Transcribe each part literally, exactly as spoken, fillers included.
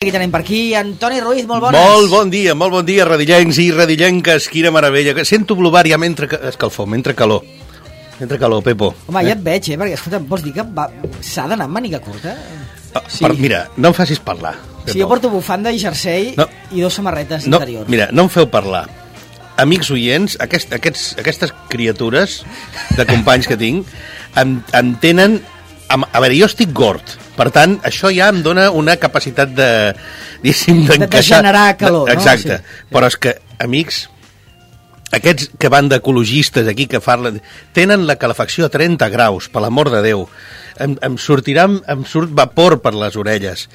Aquí tenim per aquí Antoni Ruiz, molt bones. Molt bon dia, molt bon dia, radillencs i radillenques, quina meravella. Sento blobar ja mentre escalfor, mentre calor. Mentre calor, Pepo. Home, ja et veig, eh, perquè, escolta, vols dir que va... s'ha d'anar amb màniga curta? Ah, sí. Per, mira, no em facis parlar, Pepo. Sí, jo porto bufanda i jersei no. i dos samarretes no, interiors. Mira, no em feu parlar. Amics oients, aquest, aquests, aquestes criatures de companys que tinc em, em tenen... A veure, jo estic gord, per tant, això ja em dona una capacitat de, diguéssim, d'encaixar... De generar calor, no? Exacte, sí. Però és que, amics, aquests que van d'ecologistes aquí, que parlen, tenen la calefacció a trenta graus, per l'amor de Déu. Em, em sortirà, em surt vapor per les orelles.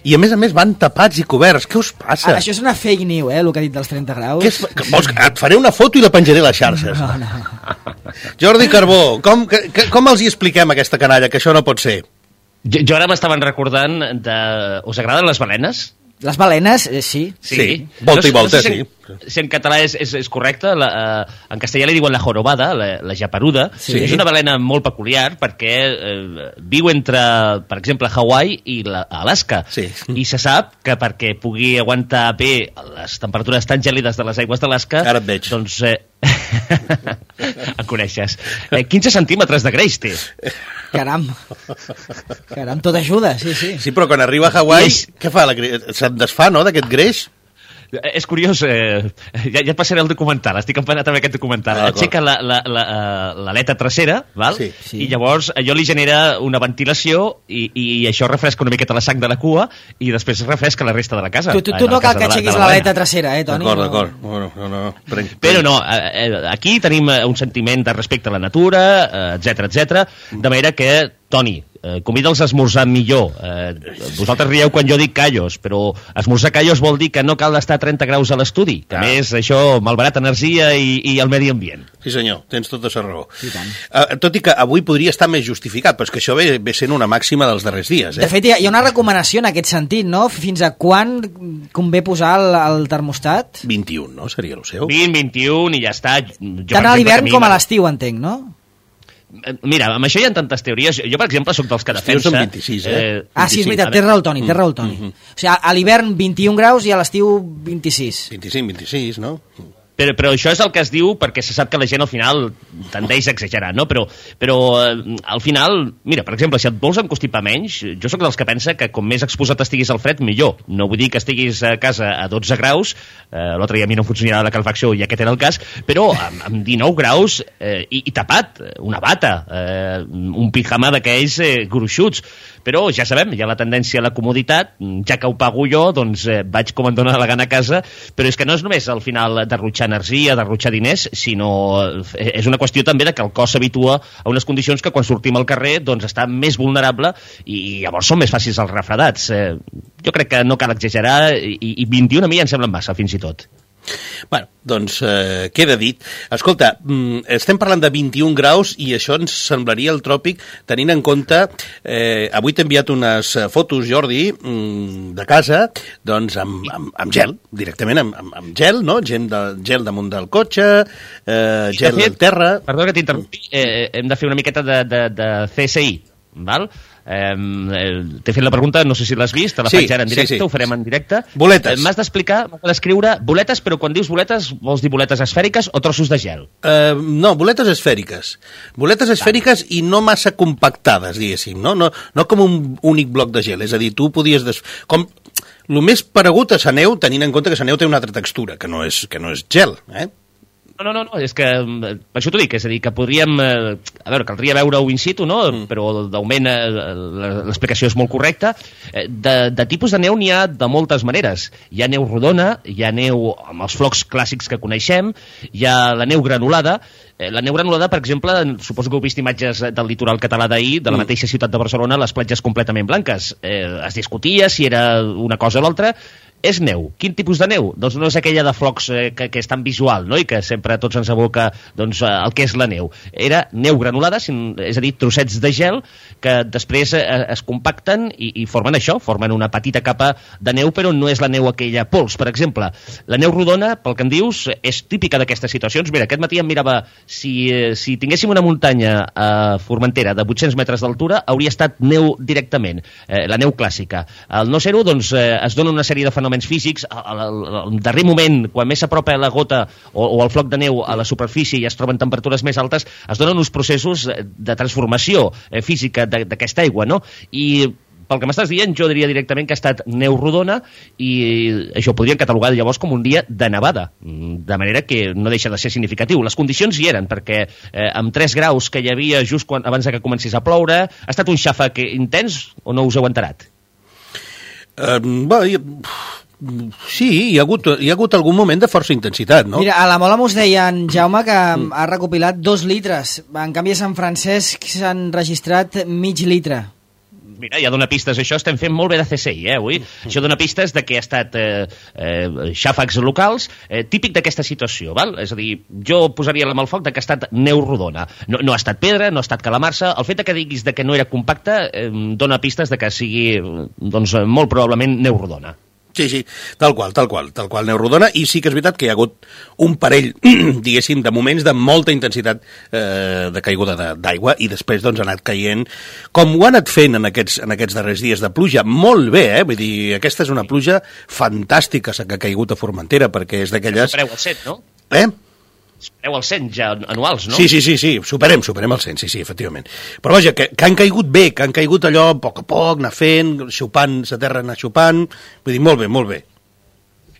I a més a més van tapats i coberts. Què us passa? Ah, això és una fake news, eh, el que ha dit dels trenta graus. És, vols, et faré una foto i la penjaré a les xarxes. No, no. Jordi Carbó, com, que, com els hi expliquem a aquesta canalla que això no pot ser? Jo, jo ara m'estaven recordant de... Us agraden les balenes? Les balenes, eh, sí. Sí, sí. Volta no, i volta, no sé si en, sí. Si en català és, és, és correcte, la, uh, en castellà li diuen la jorobada, la, la japeruda. Sí. És una balena molt peculiar perquè uh, viu entre, per exemple, Hawaii i la, Alaska. Sí. I se sap que perquè pugui aguantar bé les temperatures tan gèlides de les aigües d'Alaska... Ara et veig. Doncs... Eh, en coneixes. Eh, quinze centímetres de greix té. Caram. Caram, tot ajuda, sí, sí. Sí, però quan arriba a Hawaii, és... què fa? La... Se'n desfà, no?, d'aquest greix? És curiós, eh, ja, ja et passaré el documental, estic empanat amb aquest documental. Ah, aixeca l'aleta la, la, la trasera, val? Sí, sí. I llavors allò li genera una ventilació i, i això refresca una miqueta la sang de la cua i després refresca la resta de la casa. Tu, tu, tu no cal que aixequis l'aleta trasera, eh, Toni? D'acord, d'acord. No, no, no, no. Prenc, prenc. Però no, eh, aquí tenim un sentiment de respecte a la natura, etcètera, etcètera, de manera que, Toni, Eh, convida'ls a esmorzar millor. Eh, vosaltres rieu quan jo dic callos, però esmorzar callos vol dir que no cal estar a trenta graus a l'estudi, que a més això malbarat energia i, i el medi ambient. Sí senyor, tens tota la raó. Uh, tot i que avui podria estar més justificat, però és que això ve, ve sent una màxima dels darrers dies. Eh? De fet, hi ha una recomanació en aquest sentit, no? Fins a quan convé posar el, el termostat? vint-i-un, no? Seria el seu? vint, vint-i-un i ja està. Jo, tant a l'hivern com a l'estiu, entenc, no? Mira, amb això hi ha tantes teories. Jo, per exemple, sóc dels que defensa... Són vint-i-sis, eh? eh ah, sí, és veritat, té raó el Toni, té raó el Toni. Mm-hmm. O sigui, a l'hivern vint-i-un graus i a l'estiu vint-i-sis. vint-i-cinc, vint-i-sis, no? Però, però això és el que es diu perquè se sap que la gent al final tendeix a exagerar, no? Però, però eh, al final, mira, per exemple, si et vols encostipar menys, jo sóc dels que pensa que com més exposat estiguis al fred, millor. No vull dir que estiguis a casa a dotze graus, eh, l'altre dia a mi no funcionava la calefacció i aquest era el cas, però amb, amb dinou graus eh, i, i tapat, una bata, eh, un pijama d'aquells eh, gruixuts. Però ja sabem, hi ha la tendència a la comoditat, ja que ho pago jo, doncs eh, vaig com em dóna la gana a casa, però és que no és només al final derrotxar energia, derrotxar diners, sinó és una qüestió també de que el cos s'habitua a unes condicions que quan sortim al carrer doncs està més vulnerable i llavors són més fàcils els refredats. Eh, jo crec que no cal exagerar i, i vint-i-un a mi ja em semblen massa, fins i tot. Bueno, doncs eh, queda dit. Escolta, mm, estem parlant de vint-i-un graus i això ens semblaria el tròpic tenint en compte, eh, avui t'he enviat unes fotos, Jordi, mm, de casa, doncs amb, amb, amb gel, directament amb, amb, amb gel, no? Gel, de, gel damunt del cotxe, eh, gel de al terra... Perdó que t'interrompi, eh, hem de fer una miqueta de, de, de C S I, val? Eh, t'he fet la pregunta, no sé si l'has vist, te la sí, faig ara en directe, sí, sí. Ho farem en directe. Boletes. Eh, m'has d'explicar, m'has d'escriure boletes, però quan dius boletes, vols dir boletes esfèriques o trossos de gel? Uh, no, boletes esfèriques. Boletes esfèriques i no massa compactades, diguéssim, no? No, no com un únic bloc de gel, és a dir, tu podies... Des... Com... El més paregut a la neu, tenint en compte que la neu té una altra textura, que no és, que no és gel, eh? No, no, no, és que per això t'ho dic, és a dir, que podríem, eh, a veure, caldria veure-ho in situ, no? Mm. Però d'augment eh, l'explicació és molt correcta. Eh, de, de tipus de neu n'hi ha de moltes maneres. Hi ha neu rodona, hi ha neu amb els flocs clàssics que coneixem, hi ha la neu granulada. Eh, la neu granulada, per exemple, suposo que heu vist imatges del litoral català d'ahir, de la mm. mateixa ciutat de Barcelona, les platges completament blanques. Eh, es discutia si era una cosa o l'altra. és neu. Quin tipus de neu? Doncs no és aquella de flocs eh, que, que és tan visual, no? I que sempre a tots ens aboca doncs, el que és la neu. Era neu granulada, és a dir, trossets de gel que després eh, es compacten i, i formen això, formen una petita capa de neu, però no és la neu aquella pols, per exemple. La neu rodona, pel que em dius, és típica d'aquestes situacions. Mira, aquest matí em mirava, si, eh, si tinguéssim una muntanya a Formentera de vuit-cents metres d'altura, hauria estat neu directament, eh, la neu clàssica. Al no ser-ho, doncs, eh, es dona una sèrie de fenòmens físics, al, al, al darrer moment, quan més s'apropa la gota o, o el floc de neu a la superfície i es troben temperatures més altes, es donen uns processos de transformació eh, física d'aquesta aigua, no? I pel que m'estàs dient, jo diria directament que ha estat neu rodona i això ho podríem catalogar llavors com un dia de nevada, de manera que no deixa de ser significatiu. Les condicions hi eren, perquè eh, amb tres graus que hi havia just quan, abans que comencés a ploure, ha estat un xàfec intens o no us heu enterat? Uh, bé, sí, hi ha, hagut, hi ha hagut algun moment de força intensitat, no? Mira, a la Mola mos deien, Jaume, que mm. ha recopilat dos litres. En canvi, a Sant Francesc s'han registrat mig litre. Mira, ja dona pistes, això estem fent molt bé de C S I, eh, avui. Això dona pistes de que ha estat eh, eh, xàfecs locals, eh, típic d'aquesta situació, val? És a dir, jo posaria la mà al foc de que ha estat neu rodona. No, no ha estat pedra, no ha estat calamarsa. El fet de que diguis de que no era compacta eh, dona pistes de que sigui, doncs, molt probablement neu rodona. Sí, sí, tal qual, tal qual, tal qual, neu rodona, i sí que és veritat que hi ha hagut un parell, diguéssim, de moments de molta intensitat eh, de caiguda d'aigua, i després doncs ha anat caient, com ho ha anat fent en aquests, en aquests darrers dies de pluja, molt bé, eh? Vull dir, aquesta és una pluja fantàstica que ha caigut a Formentera, perquè és d'aquelles... Supereu el set, no? Eh? Supereu el cent ja anuals, no? Sí, sí, sí, sí, superem, superem el cent, sí, sí, efectivament. Però vaja, que, que han caigut bé, que han caigut allò a poc a poc, anar fent, xupant, la terra anar xupant, vull dir, molt bé, molt bé.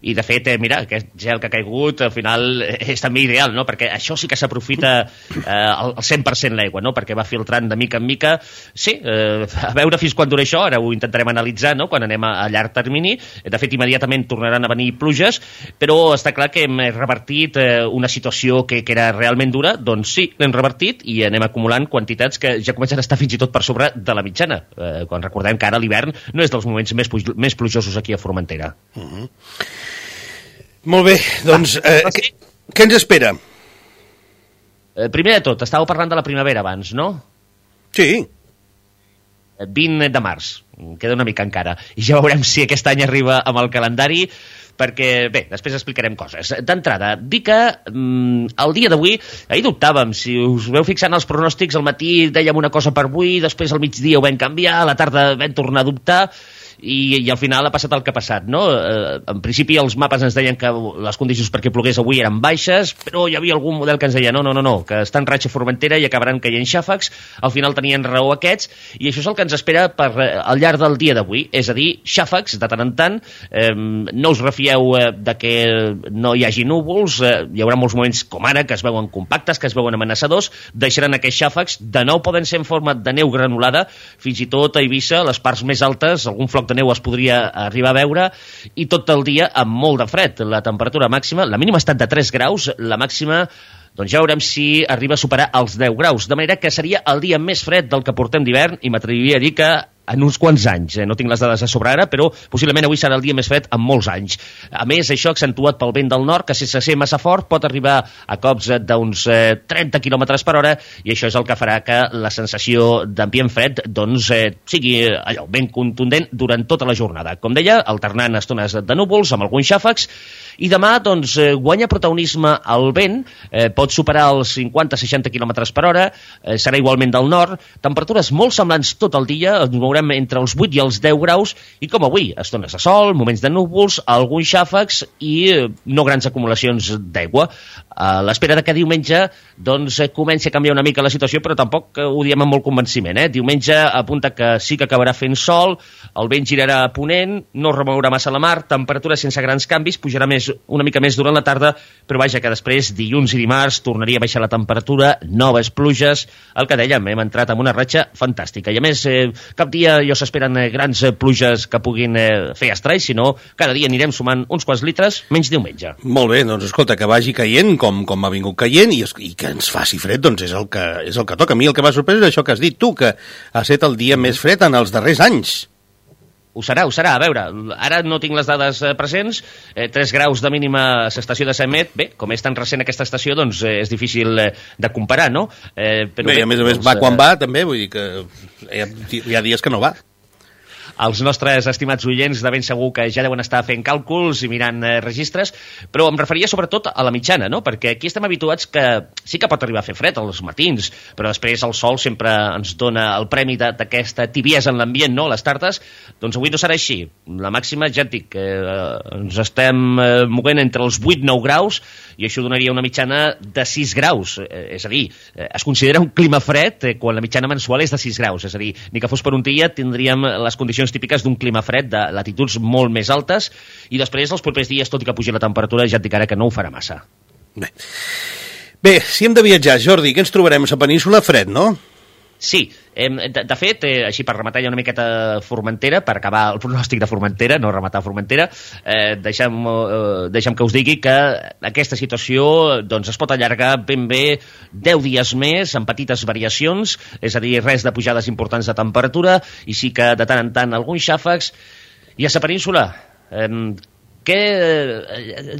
I, de fet, eh, mira, aquest gel que ha caigut, al final, és també ideal, no? Perquè això sí que s'aprofita eh, al cent per cent l'aigua, no? Perquè va filtrant de mica en mica. Sí, eh, a veure fins quan dura això, ara ho intentarem analitzar, no?, quan anem a, a llarg termini. De fet, immediatament tornaran a venir pluges, però està clar que hem revertit eh, una situació que, que era realment dura. Doncs sí, l'hem revertit i anem acumulant quantitats que ja comencen a estar fins i tot per sobre de la mitjana. Eh, quan recordem que ara l'hivern no és dels moments més, pluj més plujosos aquí a Formentera. Uh -huh. Molt bé, doncs, eh, què, què ens espera? Eh, primer de tot, estàveu parlant de la primavera abans, no? Sí. vint de març, queda una mica encara. I ja veurem si aquest any arriba amb el calendari, perquè, bé, després explicarem coses. D'entrada, dir que mm, el dia d'avui, ahir dubtàvem, si us veu fixant els pronòstics, al matí dèiem una cosa per avui, després al migdia ho vam canviar, a la tarda vam tornar a dubtar, I, i al final ha passat el que ha passat, no? Eh, en principi els mapes ens deien que les condicions perquè plogués avui eren baixes, però hi havia algun model que ens deia no, no, no, no, que està en ratxa Formentera i acabaran caient xàfecs. Al final tenien raó aquests, i això és el que ens espera per, eh, al llarg del dia d'avui, és a dir, xàfecs de tant en tant. Eh, no us refieu eh, de que no hi hagi núvols, eh, hi haurà molts moments com ara que es veuen compactes, que es veuen amenaçadors, deixaran aquests xàfecs, de nou poden ser en forma de neu granulada, fins i tot a Eivissa, les parts més altes, algun floc de neu es podria arribar a veure, i tot el dia amb molt de fred. La temperatura màxima, la mínima ha estat de tres graus, la màxima, doncs ja veurem si arriba a superar els deu graus, de manera que seria el dia més fred del que portem d'hivern, i m'atreviria a dir que en uns quants anys, eh? No tinc les dades a sobre ara, però possiblement avui serà el dia més fred en molts anys. A més, això accentuat pel vent del nord, que sense ser massa fort pot arribar a cops d'uns eh, trenta quilòmetres per hora, i això és el que farà que la sensació d'ambient fred doncs, eh, sigui allò, ben contundent durant tota la jornada. Com deia, alternant estones de núvols amb alguns xàfecs, i demà doncs, eh, guanya protagonisme el vent, eh, pot superar els cinquanta a seixanta quilòmetres per hora, eh, serà igualment del nord, temperatures molt semblants tot el dia, ens mourem entre els vuit i els deu graus, i com avui, estones de sol, moments de núvols, alguns xàfecs i eh, no grans acumulacions d'aigua. A l'espera de que diumenge doncs, eh, comenci a canviar una mica la situació, però tampoc eh, ho diem amb molt convenciment. Eh? Diumenge apunta que sí que acabarà fent sol, el vent girarà a ponent, no remourà massa la mar, temperatura sense grans canvis, pujarà més, una mica més durant la tarda, però vaja que després, dilluns i dimarts, tornaria a baixar la temperatura, noves pluges, el que dèiem, hem entrat en una ratxa fantàstica. I a més, eh, cap dia ja s'esperen eh, grans eh, pluges que puguin eh, fer estralls, sinó cada dia anirem sumant uns quants litres, menys diumenge. Molt bé, doncs escolta, que vagi caient com, com ha vingut caient, i, es, i que ens faci fred, doncs és el que, és el que toca. A mi el que m'ha sorprès és això que has dit tu, que ha estat el dia més fred en els darrers anys. Ho serà, ho serà. A veure, ara no tinc les dades presents, eh, tres graus de mínima a l'estació de Samet, bé, com és tan recent aquesta estació, doncs eh, és difícil eh, de comparar, no? Eh, però bé, bé, a més a més doncs, va quan va, també, vull dir que hi ha, hi ha dies que no va. Els nostres estimats oients de ben segur que ja deuen estar fent càlculs i mirant eh, registres, però em referia sobretot a la mitjana, no? Perquè aquí estem habituats que sí que pot arribar a fer fred als matins, però després el sol sempre ens dona el premi d'aquesta tibiesa en l'ambient, no? Les tardes, doncs avui no serà així. La màxima, ja et dic, eh, ens estem eh, movent entre els vuit a nou graus i això donaria una mitjana de sis graus. Eh, és a dir, eh, es considera un clima fred eh, quan la mitjana mensual és de sis graus. És a dir, ni que fos per un dia tindríem les condicions típiques d'un clima fred de latituds molt més altes i després els propers dies, tot i que pugi la temperatura, ja et dic ara que no ho farà massa. Bé, Bé si hem de viatjar, Jordi, què ens trobarem a la península? Fred, no? Sí, eh, de, de fet, eh, així per rematar ja una miqueta Formentera, per acabar el pronòstic de Formentera, no rematar Formentera, eh, deixem, eh, deixem que us digui que aquesta situació doncs, es pot allargar ben bé deu dies més, amb petites variacions, és a dir, res de pujades importants de temperatura, i sí que de tant en tant alguns xàfecs. I a la península, eh, que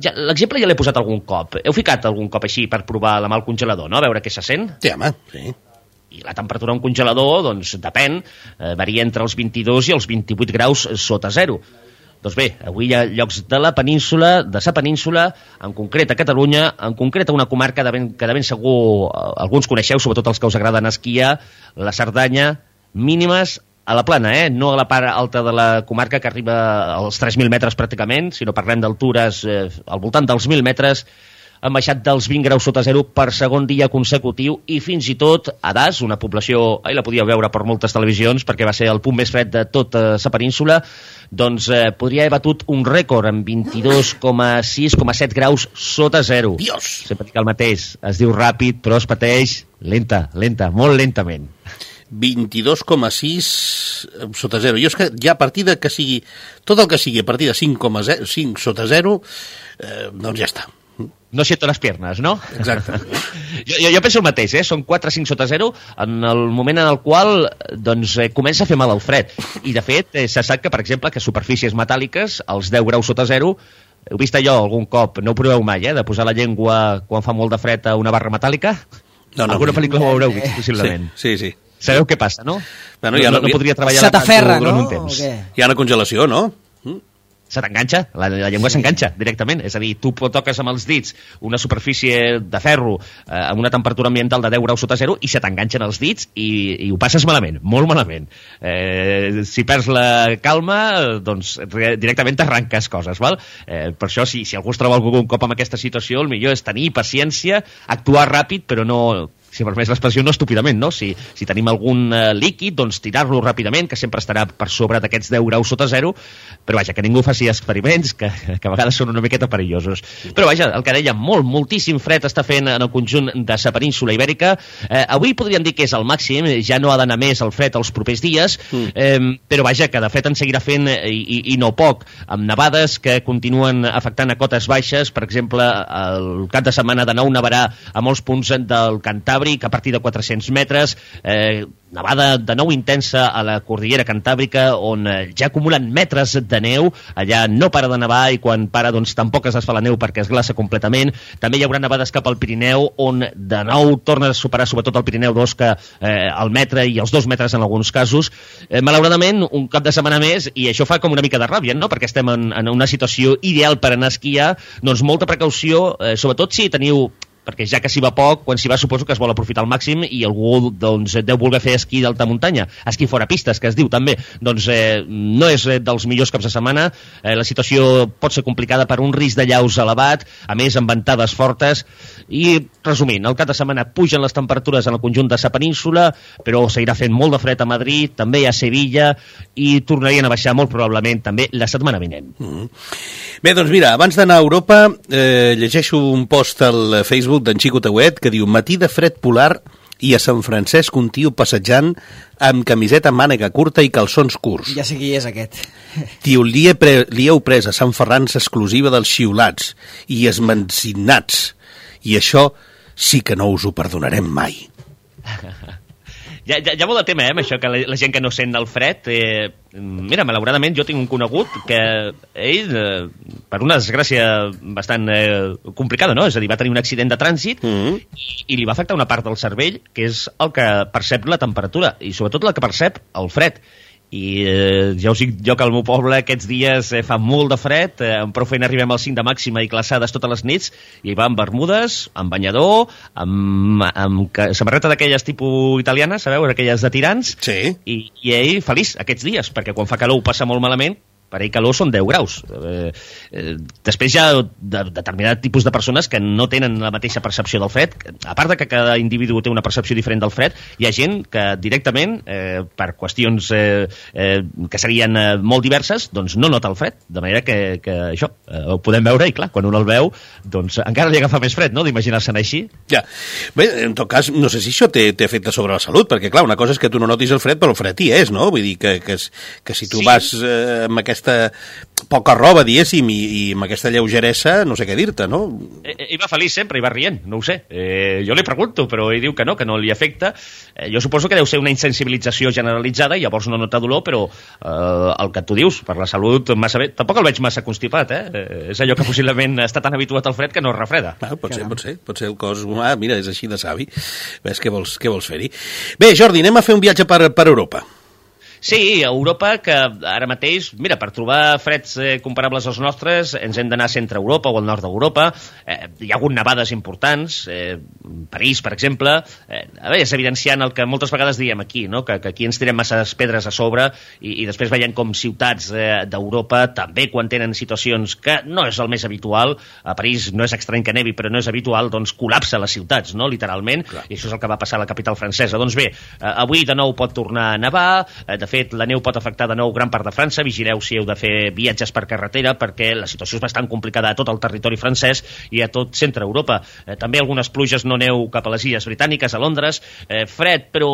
ja, l'exemple ja l'he posat algun cop. Heu ficat algun cop així per provar la mà al congelador, no? A veure què se sent? Sí, home, sí. I la temperatura a un congelador, doncs, depèn, eh, varia entre els vint-i-dos i els vint-i-vuit graus sota zero. Doncs bé, avui hi ha llocs de la península, de sa península, en concret a Catalunya, en concret a una comarca de ben, que de ben segur eh, alguns coneixeu, sobretot els que us agraden esquiar, la Cerdanya, mínimes a la plana, eh? No a la part alta de la comarca que arriba als tres mil metres pràcticament, sinó parlem d'altures eh, al voltant dels mil metres, han baixat dels vint graus sota zero per segon dia consecutiu i fins i tot a Das, una població, ahir la podíeu veure per moltes televisions perquè va ser el punt més fred de tota la península, doncs eh, podria haver batut un rècord amb vint-i-dos coma sis coma set graus sota zero. Dios! Sempre dic el mateix, es diu ràpid però es pateix lenta, lenta, molt lentament. vint-i-dos coma sis sota zero. Jo és que ja a partir de que sigui, tot el que sigui a partir de cinc coma cinc sota zero, eh, doncs ja està. No siento les piernas, no? Exacte. jo, jo, jo penso el mateix, eh? Són quatre cinc sota zero en el moment en el qual doncs, eh, comença a fer mal el fred. I, de fet, eh, se sap que, per exemple, que superfícies metàl·liques, als deu graus sota zero, heu vist allò algun cop, no ho proveu mai, eh? De posar la llengua quan fa molt de fred a una barra metàl·lica? No, no. Alguna pel·lícula ho haureu vist, possiblement. Sí, sí, sí. Sabeu què passa, no? Bueno, no, ja no, no, no podria treballar... Se t'aferra, no? Un temps. Hi ha una congelació, no? Se t'enganxa, la, la llengua s'enganxa directament, és a dir, tu toques amb els dits una superfície de ferro eh, amb una temperatura ambiental de deu graus sota zero i se t'enganxen els dits i, i ho passes malament, molt malament. Eh, si perds la calma, doncs directament t'arranques coses, val? Eh, per això, si, si algú es troba algun cop en aquesta situació, el millor és tenir paciència, actuar ràpid, però no... si permès l'expressió, no estúpidament, no? Si, si tenim algun uh, líquid, doncs tirar-lo ràpidament, que sempre estarà per sobre d'aquests deu graus sota zero, però vaja, que ningú faci experiments, que, que a vegades són una miqueta perillosos. Però vaja, el que deia, molt, moltíssim fred està fent en el conjunt de la península ibèrica. Eh, avui podríem dir que és el màxim, ja no ha d'anar més el fred els propers dies, mm. eh, però vaja, que de fet en seguirà fent i, i, i no poc, amb nevades que continuen afectant a cotes baixes, per exemple, el cap de setmana de nou nevarà a molts punts del Cantàbric, a partir de quatre-cents metres, eh, nevada de nou intensa a la Cordillera Cantàbrica, on eh, ja acumulen metres de neu, allà no para de nevar i quan para doncs tampoc es desfà la neu perquè es glaça completament. També hi haurà nevades cap al Pirineu, on de nou torna a superar sobretot el Pirineu dos, que eh, el metre i els dos metres en alguns casos. Eh, malauradament, un cap de setmana més, i això fa com una mica de ràbia, no? Perquè estem en, en una situació ideal per anar a esquiar, doncs molta precaució, eh, sobretot si teniu... perquè ja que s'hi va poc, quan s'hi va suposo que es vol aprofitar al màxim i algú doncs, deu voler fer esquí d'alta muntanya, esquí fora pistes, que es diu també, doncs eh, no és dels millors caps de setmana, eh, la situació pot ser complicada per un risc de llaus elevat, a més amb ventades fortes, i resumint, el cap de setmana pugen les temperatures en el conjunt de sa península, però seguirà fent molt de fred a Madrid, també a Sevilla, i tornarien a baixar molt probablement també la setmana vinent. Mm-hmm. Bé, doncs mira, abans d'anar a Europa, eh, llegeixo un post al Facebook d'en Xico Tauet que diu: matí de fred polar i a Sant Francesc un tio passejant amb camiseta mànega curta i calçons curts. Ja sé qui és aquest. Tio, li, he pre li heu pres a Sant Ferran exclusiva dels xiulats i esmencinats. I això sí que no us ho perdonarem mai. ja, ja, ja molt de tema, eh, amb això, que la, la gent que no sent el fred... Eh, mira, malauradament jo tinc un conegut que ell, eh, per una desgràcia bastant eh, complicada, no? És a dir, va tenir un accident de trànsit mm-hmm. i, i li va afectar una part del cervell, que és el que percep la temperatura, i sobretot la que percep el fred. I eh, ja us dic jo que al meu poble aquests dies eh, fa molt de fred, eh, amb prou feina arribem al cinc de màxima i glaçades totes les nits, i hi va amb bermudes, amb banyador, amb, amb samarreta d'aquelles tipus italianes, sabeu, aquelles de tirants, sí. i, i ell feliç aquests dies, perquè quan fa calor ho passa molt malament, per ell calor són deu graus. Eh, eh, després hi ha de, determinat tipus de persones que no tenen la mateixa percepció del fred. A part de que cada individu té una percepció diferent del fred, hi ha gent que directament, eh, per qüestions eh, eh, que serien eh, molt diverses, doncs no nota el fred. De manera que, que això, eh, ho podem veure i clar, quan un el veu, doncs encara li agafa més fred, no?, d'imaginar-se'n així. Ja. Bé, en tot cas, no sé si això té, té efecte sobre la salut, perquè clar, una cosa és que tu no notis el fred, però el fred hi és, no? Vull dir que, que, que si tu sí. vas eh, amb aquesta poca roba, diguéssim, i, i amb aquesta lleugeresa, no sé què dir-te, no? Ell va feliç sempre, i va rient, no ho sé. Eh, jo li pregunto, però ell diu que no, que no li afecta. Eh, jo suposo que deu ser una insensibilització generalitzada, i llavors no nota dolor, però eh, el que tu dius, per la salut, massa bé. Tampoc el veig massa constipat, eh? eh és allò que possiblement està tan habituat al fred que no es refreda. Ah, pot ser, pot ser, pot ser el cos humà, mira, és així de savi. Ves què vols, què vols fer-hi? Bé, Jordi, anem a fer un viatge per, per Europa. Sí, a Europa, que ara mateix, mira, per trobar freds eh, comparables als nostres, ens hem d'anar a centre Europa o al nord d'Europa. Eh, hi ha hagut nevades importants, eh, París, per exemple. Eh, a veure, és evidenciant el que moltes vegades diem aquí, no?, que, que aquí ens tirem masses pedres a sobre i, i després veiem com ciutats eh, d'Europa, també quan tenen situacions que no és el més habitual, a París no és estrany que nevi, però no és habitual, doncs col·lapsa les ciutats, no?, literalment, clar. I això és el que va passar a la capital francesa. Doncs bé, eh, avui de nou pot tornar a nevar, eh, de fet, la neu pot afectar de nou gran part de França. Vigileu si heu de fer viatges per carretera, perquè la situació és bastant complicada a tot el territori francès i a tot centre Europa. Eh, també algunes pluges, no neu cap a les illes britàniques, a Londres. Eh, fred, però,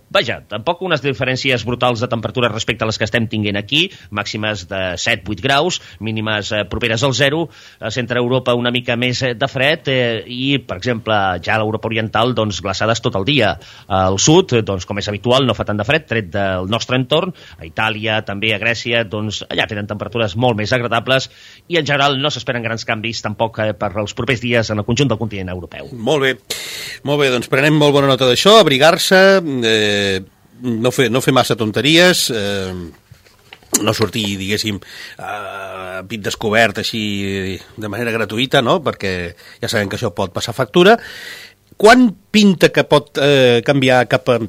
vaja, tampoc unes diferències brutals de temperatura respecte a les que estem tinguent aquí, màximes de set vuit graus, mínimes eh, properes al zero. A centre Europa una mica més eh, de fred eh, i, per exemple, ja a l'Europa oriental, doncs, glaçades tot el dia. Al sud, doncs, com és habitual, no fa tant de fred, tret del nostre entorn. A Itàlia, també a Grècia, doncs allà tenen temperatures molt més agradables i en general no s'esperen grans canvis tampoc eh, per els propers dies en el conjunt del continent europeu. Molt bé, molt bé, doncs prenem molt bona nota d'això, abrigar-se, eh, no, fer, no fer massa tonteries, eh, no sortir, diguéssim, a pit descobert així de manera gratuïta, no?, perquè ja sabem que això pot passar factura. Quan pinta que pot eh, canviar cap a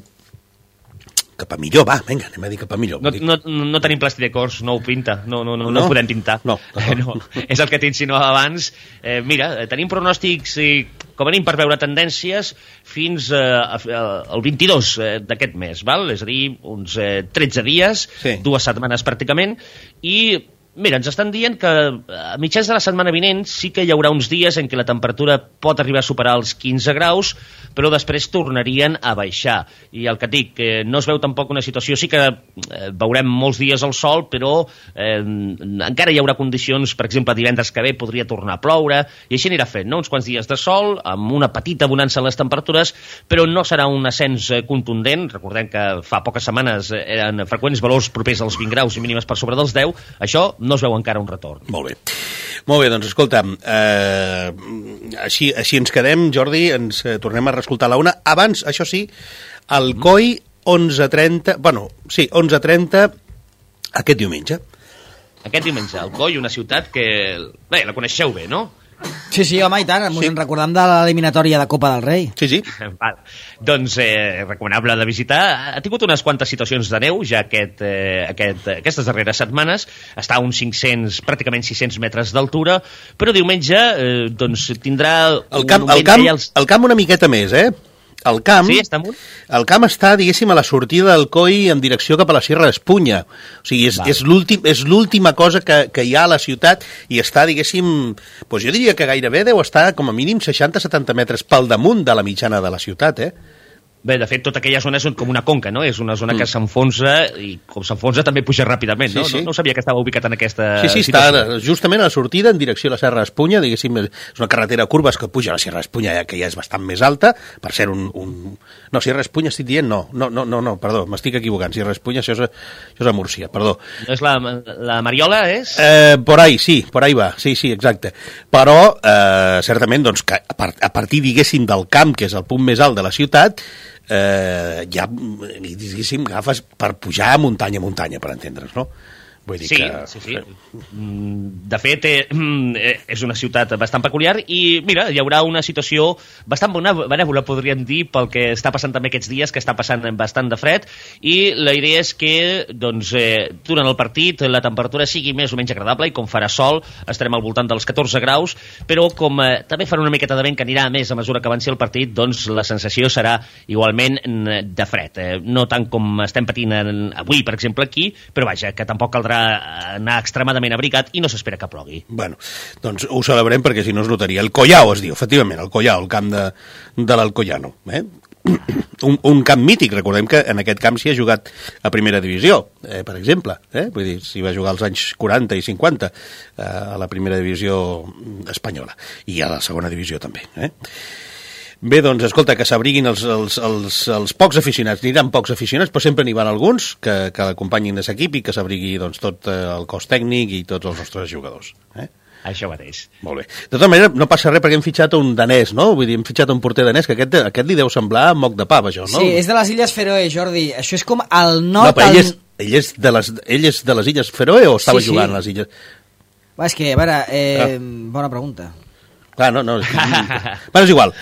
cap a millor, va, vinga, anem a dir cap a millor. No, no, no tenim plastidecors, no ho pinta, no, no, no, no, no podem pintar. No, no. no. És el que t'insinuava abans. Eh, mira, tenim pronòstics, eh, com a mínim per veure tendències, fins eh, al vint-i-dos eh, d'aquest mes, val? És a dir, uns eh, tretze dies, sí. dues setmanes pràcticament, i mira, ens estan dient que a mitjans de la setmana vinent sí que hi haurà uns dies en què la temperatura pot arribar a superar els quinze graus, però després tornarien a baixar. I el que et dic, eh, no es veu tampoc una situació, sí que eh, veurem molts dies al sol, però eh, encara hi haurà condicions, per exemple, divendres que ve podria tornar a ploure, i així anirà fent, no? Uns quants dies de sol, amb una petita bonança en les temperatures, però no serà un ascens eh, contundent. Recordem que fa poques setmanes eh, eren freqüents valors propers als vint graus i mínimes per sobre dels deu. Això no es veu encara un retorn. Molt bé. Molt bé, doncs escolta, eh, així, així ens quedem, Jordi, ens eh, tornem a reescoltar a la una. Abans, això sí, al C O I, onze trenta, bueno, sí, onze trenta, aquest diumenge. Aquest diumenge, al C O I, una ciutat que, bé, la coneixeu bé, no? Sí, sí, home, i tant, ens sí. en recordem de l'eliminatòria de Copa del Rei. Sí, sí. Val. Doncs, eh, recomanable de visitar. Ha tingut unes quantes situacions de neu ja aquest, eh, aquest, aquestes darreres setmanes. Està a uns cinc-cents, pràcticament sis-cents metres d'altura, però diumenge eh, doncs, tindrà... El camp, el, camp, els... el camp una miqueta més, eh? El camp, sí, està amunt? El camp està, diguéssim, a la sortida del C O I en direcció cap a la Sierra d'Espunya. O sigui, és, és, l'últim, és l'última cosa que, que hi ha a la ciutat i està, diguéssim, doncs jo diria que gairebé deu estar com a mínim seixanta a setanta metres pel damunt de la mitjana de la ciutat, eh? Bé, de fet, tota aquella zona és com una conca, no? És una zona mm. que s'enfonsa i com s'enfonsa també puja ràpidament, no? Sí, sí. No, no sabia que estava ubicat en aquesta Sí, sí, situació. Està justament a la sortida en direcció a la Serra d'Espunya, diguéssim, és una carretera curva que puja a la Serra d'Espunya, ja que ja és bastant més alta, per ser un... un... No, Serra d'Espunya estic dient, no, no, no, no, no perdó, m'estic equivocant, Serra d'Espunya, això, és a, això és a Múrcia, perdó. No és la, la Mariola, és? Eh, por ahí, sí, por ahí va, sí, sí, exacte. Però, eh, certament, doncs, que a, part, a partir, diguéssim, del camp, que és el punt més alt de la ciutat, eh, ja, diguéssim, agafes per pujar a muntanya a muntanya, per entendre's, no? Vull dir sí, que... sí, sí. De fet, eh, és una ciutat bastant peculiar i, mira, hi haurà una situació bastant benèvola, podríem dir, pel que està passant també aquests dies, que està passant bastant de fred, i la idea és que, doncs, eh, durant el partit la temperatura sigui més o menys agradable i com farà sol estarem al voltant dels catorze graus, però com eh, també farà una miqueta de vent que anirà més a mesura que avanci el partit, doncs la sensació serà igualment de fred. Eh, no tant com estem patint avui, per exemple, aquí, però vaja, que tampoc caldrà anar extremadament abrigat i no s'espera que plogui. Bueno, doncs ho celebrem perquè si no es notaria. El Collao es diu, efectivament, el Collao, el camp de, de l'Alcoyano. Eh? Un, un camp mític, recordem que en aquest camp s'hi ha jugat a primera divisió, eh, per exemple. Eh? Vull dir, s'hi va jugar als anys quaranta i cinquanta eh, a la primera divisió espanyola i a la segona divisió també. Eh? Bé, doncs, escolta, que s'abriguin els, els, els, els pocs aficionats. N'hi pocs aficionats, però sempre n'hi van alguns que, que acompanyin aquest equip i que s'abrigui doncs, tot el cos tècnic i tots els nostres jugadors. Eh? Això mateix. Molt bé. De tota manera, no passa res perquè hem fitxat un danès, no? Vull dir, hem fitxat un porter danès, que aquest, aquest li deu semblar moc de pava, això, no? Sí, és de les Illes Feroe, Jordi. Això és com el nord... No, però ell és, ell és, de, les, ell és de les Illes Feroe o estava sí, jugant sí. a les Illes... Va, és que, a veure, eh, ah. bona pregunta. Clar, no, no. Bueno, és igual.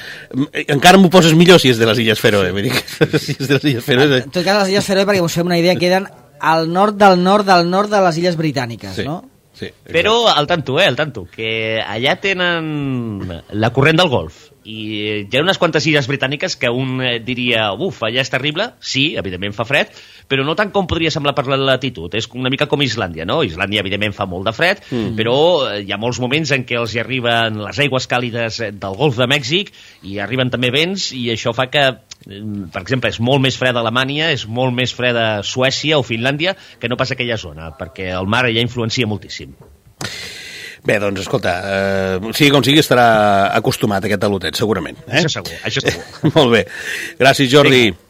Encara m'ho poses millor si és de les Illes Feroe. Vull dir que si és de les Illes Feroe... En tot cas, les Illes Feroe, perquè us fem una idea, queden al nord del nord del nord de les Illes Britàniques, sí, no? Sí, exacte. Però al tanto, eh, al tanto, que allà tenen la corrent del Golf i hi ha unes quantes illes britàniques que un diria, uf, allà és terrible, sí, evidentment fa fred, però no tant com podria semblar per la latitud, és una mica com Islàndia, no? Islàndia evidentment fa molt de fred, mm. però hi ha molts moments en què els hi arriben les aigües càlides del Golf de Mèxic i arriben també vents i això fa que, per exemple, és molt més fred a Alemanya, és molt més fred a Suècia o Finlàndia que no pas aquella zona, perquè el mar allà influencia moltíssim. Bé, doncs, escolta, eh, sigui com sigui, estarà acostumat a aquest talotet, segurament. Eh? Això segur, això segur. Molt bé. Gràcies, Jordi. Vinga.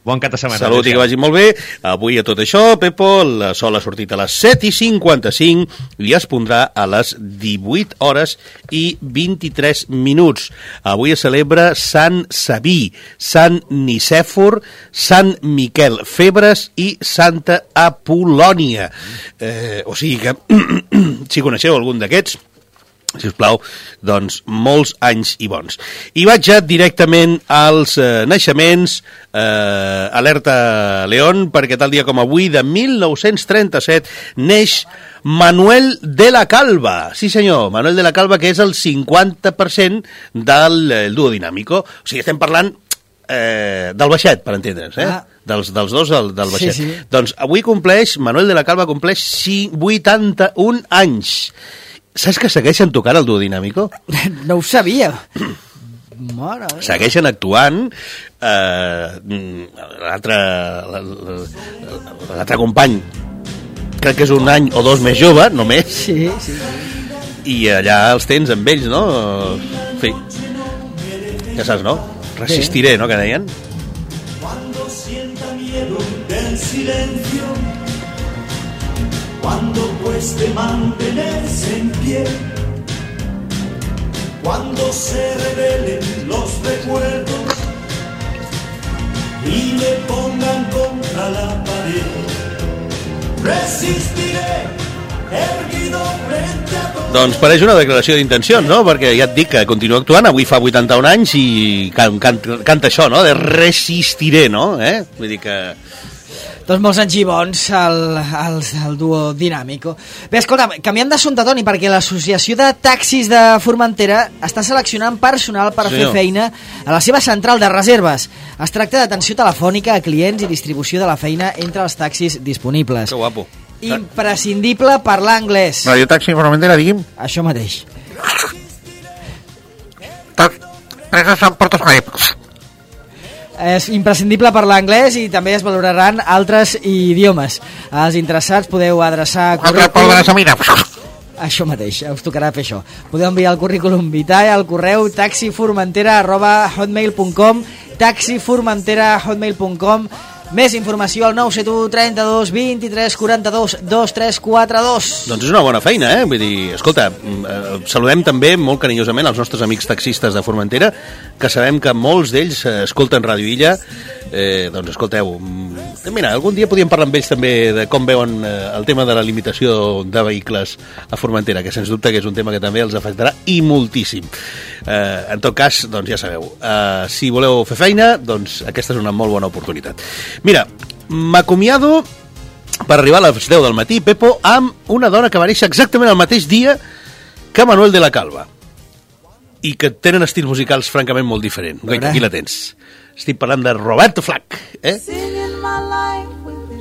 Bon cap de setmana. Salut i que vagi molt bé. Avui a tot això, Pepo, el sol ha sortit a les set i cinquanta-cinc i es pondrà a les divuit hores i vint-i-tres minuts. Avui es celebra Sant Sabí, Sant Nicèfor, Sant Miquel Febres i Santa Apol·lònia. Eh, o sigui que, si coneixeu algun d'aquests, si us plau, doncs molts anys i bons. I vaig ja directament als eh, naixements, eh, alerta León, perquè tal dia com avui, de mil nou-cents trenta-set, neix Manuel de la Calva. Sí senyor, Manuel de la Calva, que és el cinquanta per cent del el Dúo Dinámico. O sigui, estem parlant eh, del baixet, per entendre'ns, eh? Ah. Dels, dels dos del, del baixet. Sí, sí. Doncs avui compleix, Manuel de la Calva compleix vuitanta-un anys. Saps que segueixen tocant el Dúo Dinámico? No ho sabia. Mare meva. Segueixen actuant. Eh, l'altre l'altre company crec que és un any o dos més jove, només. Sí, sí. I allà els tens amb ells, no? En fi. Ja saps, no? Resistiré, no? Que deien. Cuando sienta miedo del silencio, cuando cueste mantenerse en pie, cuando se revelen los recuerdos y me pongan contra la pared, resistiré erguido frente a todos. Doncs pareix una declaració d'intencions, no? Perquè ja et dic que continua actuant, avui fa vuitanta-un anys i can, can, canta això, no? De resistiré, no? Eh? Vull dir que... Doncs molts anys i bons al, al, al Dúo Dinámico. Bé, escolta, canviant d'assumpte, Toni, perquè l'Associació de Taxis de Formentera està seleccionant personal per Senyor. fer feina a la seva central de reserves. Es tracta d'atenció telefònica a clients i distribució de la feina entre els taxis disponibles. Que guapo. Imprescindible parlar anglès. Radio Taxi Formentera, digui'm. Això mateix. És imprescindible parlar anglès i també es valoraran altres idiomes. Els interessats podeu adreçar currículum... Això mateix, us tocarà fer això. Podeu enviar el currículum vitae al correu taxiformentera arroba hotmail punt com taxiformentera arroba hotmail punt com. Més informació al nou set u trenta-dos vint-i-tres quaranta-dos dos tres quatre dos. Doncs és una bona feina, eh? Vull dir, escolta, saludem també molt carinyosament els nostres amics taxistes de Formentera, que sabem que molts d'ells escolten Ràdio Illa. Eh, doncs escolteu, mira, algun dia podíem parlar amb ells també de com veuen el tema de la limitació de vehicles a Formentera, que sens dubte que és un tema que també els afectarà i moltíssim. Eh, en tot cas, doncs ja sabeu, eh, si voleu fer feina, doncs aquesta és una molt bona oportunitat. Mira, m'acomiado per arribar a les deu del matí, Pepo, amb una dona que va néixer exactament el mateix dia que Manuel de la Calva i que tenen estils musicals francament molt diferents. Aquí la tens. Estic parlant de Roberto Flack, eh?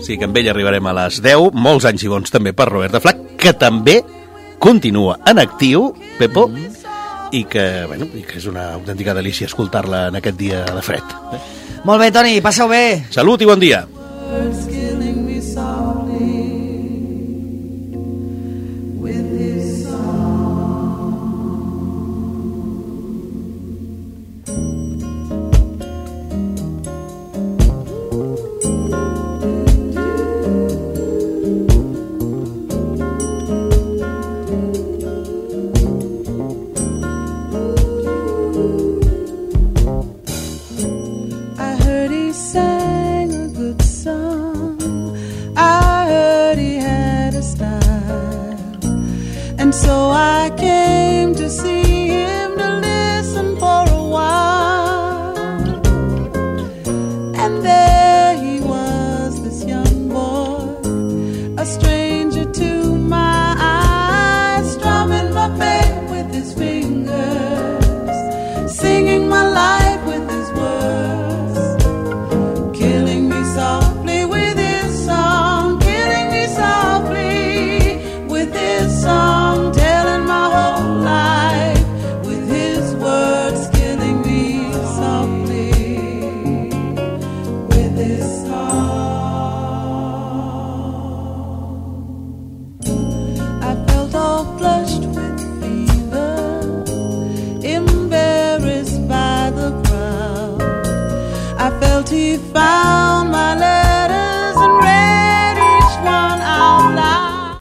Sí, que amb ell arribarem a les deu, molts anys i bons també per Roberto Flack, que també continua en actiu, Pepo, i que, bueno, i que és una autèntica delícia escoltar-la en aquest dia de fred. Eh? Molt bé, Toni, passeu bé. Salut i bon dia. He found